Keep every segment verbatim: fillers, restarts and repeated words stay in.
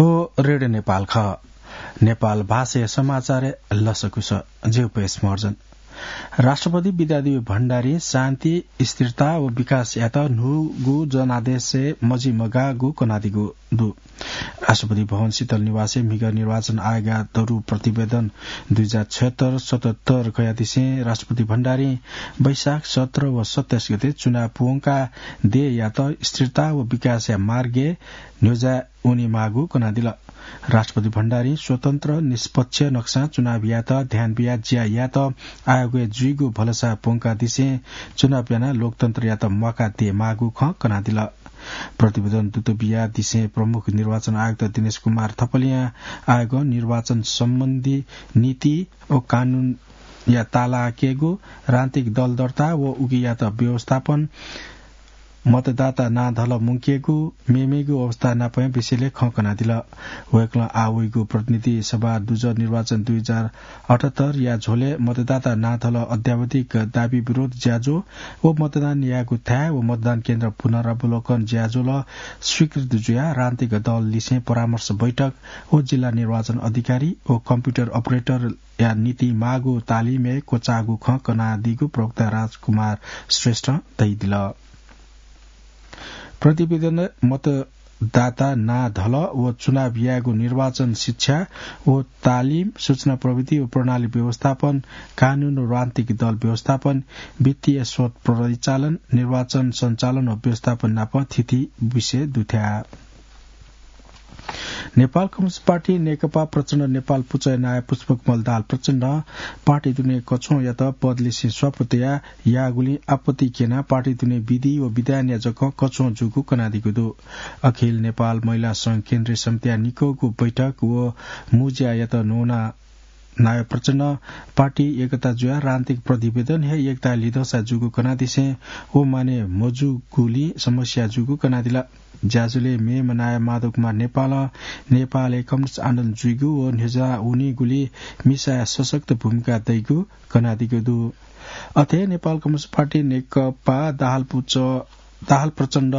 थ्व रेडियो नेपाल खः। नेपाल भाषाया समाचारय् लसकुस। ज्यू पयस महर्जन। राष्ट्रपति विद्यादेवी भण्डारीं शान्ति, स्थिरता व विकासयात न्हूगु जनादेशय् मजिमगाःगु कनादीगु दु। राष्ट्रपति भवन शीतल निवासय् म्हिगः निर्वाचन आयोगया दरु प्रतिवेदन दुई हजार छयत्तर सतहत्तर कयादिसें राष्ट्रपति भण्डारीं वैशाख सत्र व सत्ताइस गते चुनाव प्वंकाः देय्‌यात स्थिरता व विकासया मार्गय् न्ह्यज्याः वनेमाःगु कनादिल। राष्ट्रपति भण्डारीं स्वतन्त्र, निष्पक्ष नक्सां चुनाव यायेत ध्यान बियाः ज्या यायेत आयोगय् जुइगु भलसा प्वंकादिसें चुनाव यानाः लोकतन्त्रयात म्वाका देयेमाःगु खँ कनादिल। प्रतिवेदन दुत बियादिसें प्रमुख निर्वाचन आयुक्त दिनेश कुमार थपलियां आयोगं निर्वाचन सम्बन्धी नीति व कानूनया तालाकेगु, राजनीतिक दल दर्ता व उकियात व्यवस्थापन, मतदाता नां धल मुंकेगु, मेमेगु अवस्था नापं विषयलय् खँ कनादिल। वय्‌कलं आः वइगु प्रतिनिधि सभा दुजः निर्वाचन दुई हजार अठहत्तरया झ्वलय् मतदाता नां धल अद्यावधिक दाबी विरोध ज्याझ्वः व मतदान यायेगु थाय् व मतदान केन्द्र पुनरावलोकन ज्याझ्वः स्वीकृत जुयाः राजनीतिक दल लिसें परामर्श बैठक व जिल्ला निर्वाचन अधिकारी व कम्प्युटर अपरेटरया निंतिं माःगु तालिमय् क्वचाःगु खँ कनादीगु प्रवक्ता राजकुमार श्रेष्ठं धयादिल। प्रतिवेदन मतदाता नां धल व चुनाव यायेगु निर्वाचन शिक्षा व तालिम, सूचना प्रविधि व प्रणाली व्यवस्थापन, कानून व राजनीतिक दल व्यवस्थापन, वित्तीय स्रोत परिचालन, निर्वाचन सञ्चालन व व्यवस्थापन नाप थीथी विषय दुथ्याः। नेपाल कम्युनिस्ट पार्टी नेकपा प्रचण्ड नेपाल पुचःया नायः पुष्पकमल दाहाल प्रचण्डं पार्टी दुने कछ्वःयात पद लिसें स्वापू तयाः याःगुलिं आपत्ति क्यनाः पार्टी दुने विधि व विधानया जकं कछ्वः जूगु कनादीगु दु। अखिल नेपाल महिला संघ केन्द्रीय समितिया निकःगु बैठक व मुँज्यायात न्वना नायः प्रचण्डं पार्टी एकता जुयाः राजनीतिक प्रतिवेदन हे एकता लिधंसा जूगु कनादिसें व माने मजूगुलिं समस्या जूगु कनादिल। ज्याझ्वलय् मेम्ह नायः माधव कुमार नेपालं नेपालय् कम्युनिस्ट आन्दोलन जुइगु व न्ह्यज्याः वनीगुलिं मिसाया सशक्त भूमिका दइगु कनादीगु दु। अथे नेपाल कम्युनिस्ट पार्टी नेकपा दाहाल पुचः, दाहाल प्रचण्ड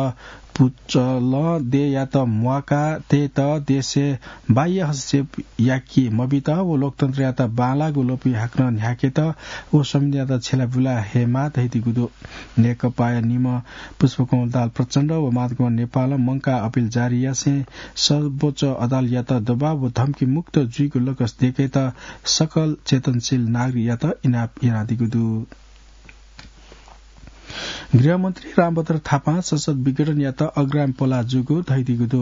पुचलं देय्‌यात म्वाका तयेत देशय् बाह्य हस्तक्षेप याके मबित व लोकतन्त्रयात बांलाःगु ल्वपि हाकनं न्ह्याकेत व संविधानयात छ्यलाबुला हयेमाः धयादीगु दु। नेकपाया निम्ह पुष्पकमल दाहाल प्रचण्ड व माधव कुमार नेपालं मंकाः अपिल जारी यासें सर्वोच्च अदालतयात दबाव व धम्कीमुक्त जुइगु लकस दय्‌केत सकल चेतनशील नागरिकयात इनाप यानादीगु दु। गृहमन्त्री रामभद्र थापां संसद विघटनयात अग्राम पलाः जूगु धयादीगु दु।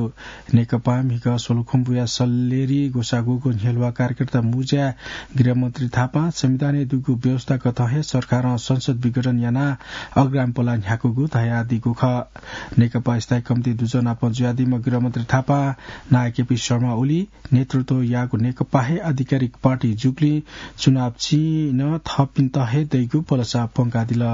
नेकपां म्हिगः स्वलुखुम्बुया सल्लेरी ग्वसाःगु न्ह्यलुवा कार्यकर्ता मुँज्याय् गृहमन्त्री थापां संविधानय् दुगु व्यवस्था कथं हे सरकारं संसद विघटन यानाः अग्राम पलाः न्ह्याकूगु धयादीगु खः। नेकपा स्थायी कमिटी दुजः नाप जुयादीम्ह गृहमन्त्री थापां नायः केपी शर्मा ओली नेतृत्व याःगु नेकपा हे आधिकारिक पार्टी जूगुलिं चुनाव चिं नं थःपिन्त हे दइगु भलसा प्वंकादिल।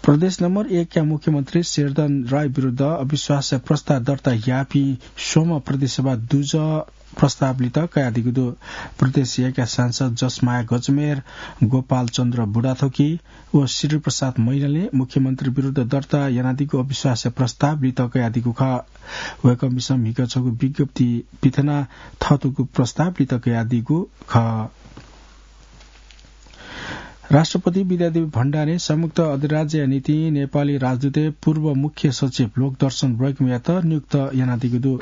प्रदेश नम्बर एकया मुख्यमन्त्री शेरधन राय विरुद्ध अविश्वास प्रस्ताव दर्ता याःपिं स्वम्ह प्रदेशसभा दुजः प्रस्ताव लित कयादीगु दु। प्रदेश एकया सांसद जसमाया गजमेर, गोपाल चन्द्र बुढाथोकी व श्रीप्रसाद मैनालीं मुख्यमन्त्री विरुद्ध दर्ता यानादीगु अविश्वास प्रस्ताव लित कयादीगु खः। वय्‌कःपिन्सं म्हिगः छगू विज्ञप्ति पिथनाः थःतःगु प्रस्ताव लित कयादीगु खः। राष्ट्रपति विद्यादेवी भण्डारीं संयुक्त अधिराज्यया निंतिं नेपाली राजदूतय् पूर्व मुख्य सचिव लोकदर्शन ब्रैकुमयात नियुक्त यानादीगु दु।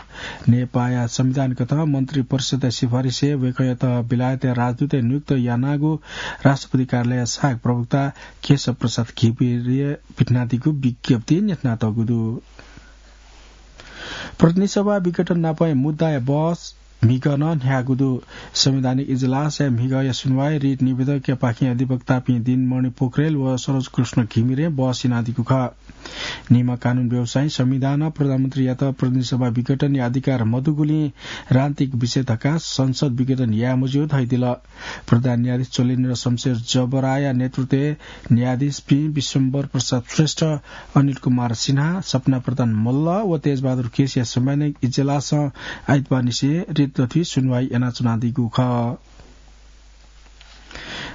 नेपाःया संविधान कथं मन्त्री परिषदया सिफारिसय् वय्‌कःयात बेलायतया राजदूतय् नियुक्त यानागु राष्ट्रपति कार्यालयया सहायक प्रवक्ता केशव प्रसाद घिमिरें पिथनादीगु विज्ञप्तिइ न्ह्यथनातःगु दु। प्रतिनिधि सभा विघटन नापं मुद्दाया बहस म्हिगः नं न्ह्याःगु दु। संवैधानिक इजलासया म्हिगःया सुनुवाइ रिट निवेदकयापाखें अधिवक्तापिं दिनमणि पोखरेल व सरोज कृष्ण घिमिरें बहस यानादीगु खः। निम्ह कानून व्यवसायीं संविधानं प्रधानमन्त्रीयात प्रतिनिधि सभा विघटनया अधिकार मदुगुलिं राजनीतिक विषय धकाः संसद विघटन याये मज्यू धयादिल। प्रधान न्यायाधीश चोलेन्द्र शमशेर जबराया नेतृत्वय् न्यायाधीशपिं विश्वम्भर प्रसाद श्रेष्ठ, अनिल कुमार सिन्हा, सपना प्रधान मल्ल व तेजबहादुर केसीया संवैधानिक इजलासं आइतबारनिसें रिट दथुइ सुनुवाइ यानाच्वनादीगु खः।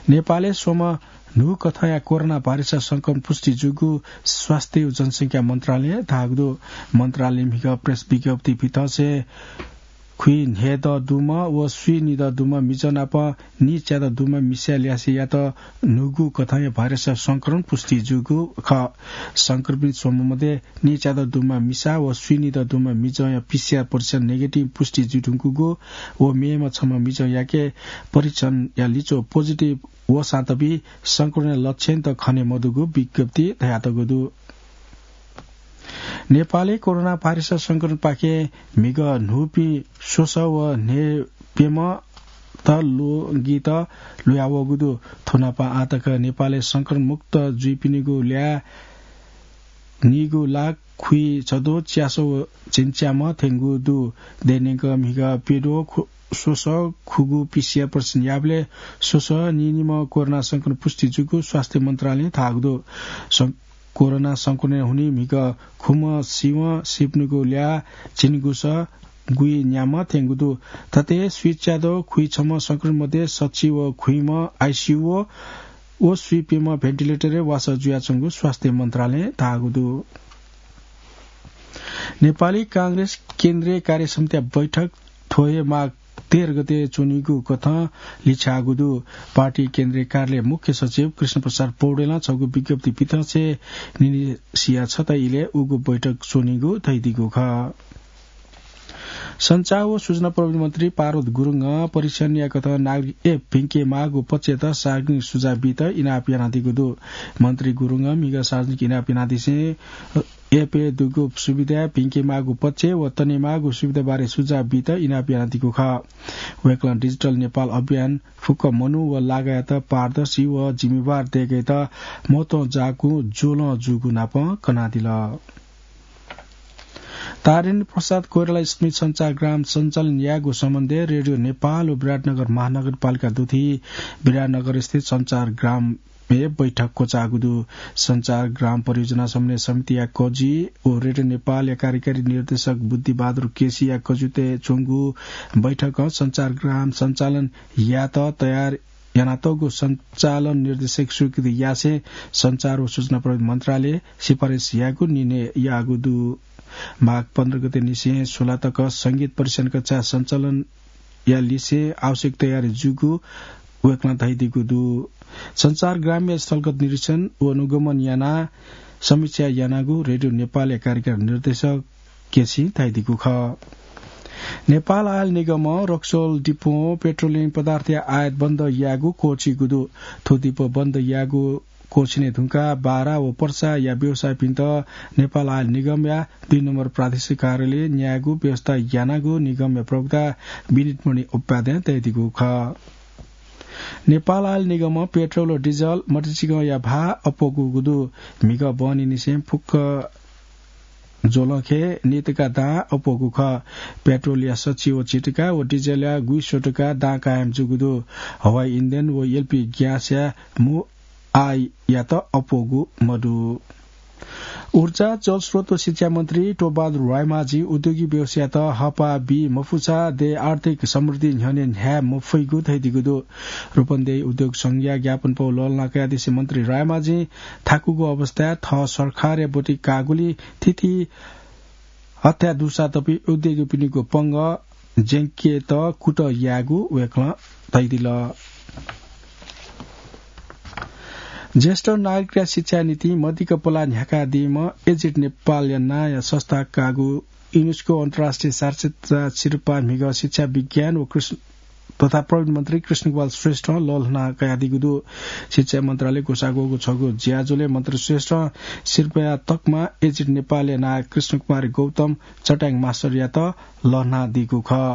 नेपालय् स्वम्ह न्हू कथंया कोरोना भाइरस संक्रमण पुष्टि जूगु स्वास्थ्य व जनसंख्या मन्त्रालयं धाःगु दु। मन्त्रालयं म्हिगः प्रेस विज्ञप्ति भिंतंसे खुइ न्हय्दँ दुम्ह व स्वीनिदँ दुम्ह मिजं नाप नीच्यादँ दुम्ह मिसाया ल्यासेयात न्हूगु कथंया भाइरस संक्रमण पुष्टि जूगु खः। संक्रमित स्वम्ह मध्ये नीच्यादँ दुम्ह मिसा व स्वीनिदँ दुम्ह मिजंया पीसीआर परीक्षण नेगेटिभ पुष्टि जुइधुंकूगु व मेम्ह छम्ह मिजंयाके परीक्षणया लिच्वः पोजिटिभ वःसां तबि संक्रमणया लक्षण त खने मदुगु विज्ञप्ति धयातःगु दु। नेपालय् कोरोना भाइरस संक्रमणपाखें म्हिगः न्हूपिं स्वसः व न्हय्प्यम्ह त ल्वगित लुयावःगु दु। थुनापं आःतक नेपालय् संक्रमण मुक्त जुइपिनिगु ल्याः नीगु लाख खुइछद्वः च्यासः व झिंच्याम्ह थ्यंगु दु। दैनिक म्हिगः प्यद्वः खु-, स्वसः खुगू पीसीआर परीक्षण याःबलय् स्वसः नीनिम्ह कोरोना संक्रमण पुष्टि जूगु स्वास्थ्य मन्त्रालयं धाःगु दु। सं-, कोरोना संक्रमणय् हुनिं म्हिगः खुम्ह सिवं सिपनिगु ल्याः झिंगुसः गुइन्याम्ह थ्यंगु दु। थथे स्वीच्यादँ खुइछम्ह संक्रमित मध्ये सच्छि व खुइम्ह आइसीयू व, व स्वीप्यम्ह भेन्टिलेटरय् वासः जुयाच्वंगु स्वास्थ्य मन्त्रालयं धाःगु दु। नेपाली कांग्रेस केन्द्रीय कार्य समितिया बैठक थ्व हे माघ तेह्र गते च्वनीगु कथं लिछ्याःगु दु। पार्टी केन्द्रीय कार्यालय मुख्य सचिव कृष्ण प्रसाद पौडेलं छगू विज्ञप्ति भिंतंसे निन्हय्सिया छता इलय् उगु बैठक च्वनीगु धयादीगु खः। सञ्चार व सूचना प्रविधि मन्त्री पार्वत गुरुङं परीक्षणया कथं नागरिक एप भिंकेमाःगु पक्षयात सार्वजनिक सुझाव बीत इनाप यानादीगु दु। मन्त्री गुरुङं म्हिगः सार्वजनिक इनाप यानादिसें एपय् दुगु सुविधा भिंकेमाःगु पक्ष व तनेमाःगु सुविधाबारे सुझाव बीत इनाप यानादीगु खः। वय्कलं डिजिटल नेपाल अभियान फुक्क मनू व लागायात पारदर्शी व जिम्मेवार दय्केत महत्वं जाःगु ज्वलं जूगु नाप कनादिल। तारेन्द्र प्रसाद कोइराला स्मृति सञ्चारग्राम सञ्चालन यायेगु सम्बन्धय् रेडियो नेपाल व विराटनगर महानगरपालिका दुथि विराटनगरस्थित सञ्चारग्रामय् बैठक क्वचाःगु दु। सञ्चारग्राम परियोजना समन्वय समितिया कजि व रेडियो नेपालया कार्यकारी निर्देशक बुद्धिबहादुर केसीया कजित्वय् च्वंगु बैठकं सञ्चारग्राम सञ्चालन यायेत तयार यानातःगु सञ्चालन निर्देशक स्वीकृति यासें सञ्चार व सूचना प्रविधि मन्त्रालयं सिफारिस यायेगु निर्णय याःगु दु। माघ पन्ध्र गते निसें सोह्र तक संगीत परीक्षण कक्षा सञ्चालनया लिसें आवश्यक तयारी जूगु वय्कलं धयादीगु दु। सञ्चारग्रामया स्थलगत निरीक्षण व अनुगमन यानाः समीक्षा यानागु रेडियो नेपालया कार्यकारी निर्देशक केसीं धयादीगु खः। नेपाल आयल निगमं रक्सौल डिपों पेट्रोलियम पदार्थया आयात बन्द यायेगु क्वःछिइगु दु। थ्व डिपो बन्द यायेगु क्वःछिने धुंकाः बारा व पर्साया व्यवसायीपिन्त नेपाल आयल निगमया दुई नम्बर प्रादेशिक कार्यालयय् न्यायेगु व्यवस्था यानागु निगमया प्रवक्ता विनितमणि उपाध्यायं धयादीगु खः। नेपाल आयल निगमं पेट्रोल व डिजल मतिचिकंया भाः अप्वःगु दु। म्हिगः बहनी निसें फुक्क ज्वलंखे नीतका दां अप्वःगु खः। पेट्रोलया सच्छि व झिंतका व डिजलया गुइस्वतका दां कायम जूगु दु। हवाई इन्धन व एलपी ग्यासया मू आययात अप्वःगु मदु। ऊर्जा, जलस्रोत व शिक्षा मन्त्री टोपबहादुर रायमाझी उद्योगी व्यवसाययात हःपाः बी मफुसा देय् आर्थिक समृद्धि न्ह्यःने न्ह्याये मफइगु धयादीगु दु। रूपन्देही उद्योग संघया ज्ञापनपौ लःल्हाना कयादिसें मन्त्री रायमाझीं थाकुगु अवस्थाय् थः सरकारया ब्वति काःगुलिं थीथी हथाय् दुसा तपी उद्योगीपिनिगु पंगः ज्यंकेत कुतः यायेगु वय्कलं धयादिल। ज्येष्ठ नागरिकया शिक्षाया निंतिं मदिक्क पलाः न्ह्याकादीम्ह एजिड नेपालया नांया संस्था काःगु युनेस्को अन्तर्राष्ट्रिय साक्षरता सिरपाः म्हिगः शिक्षा विज्ञान व कृष्ण तथा प्रविधि मन्त्री कृष्णकुमार श्रेष्ठं लःल्हाना कयादीगु दु। शिक्षा मन्त्रालयं ग्वसाः ग्वःगु छगू ज्याझ्वलय् मन्त्री श्रेष्ठं सिरपाःया तकमा एजिड नेपालया नां कृष्णकुमार गौतम चट्याङ मास्टरयात लःल्हानादीगु खः।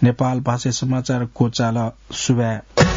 नेपाल भाषाय् समाचार क्वचाल। सुभाय्।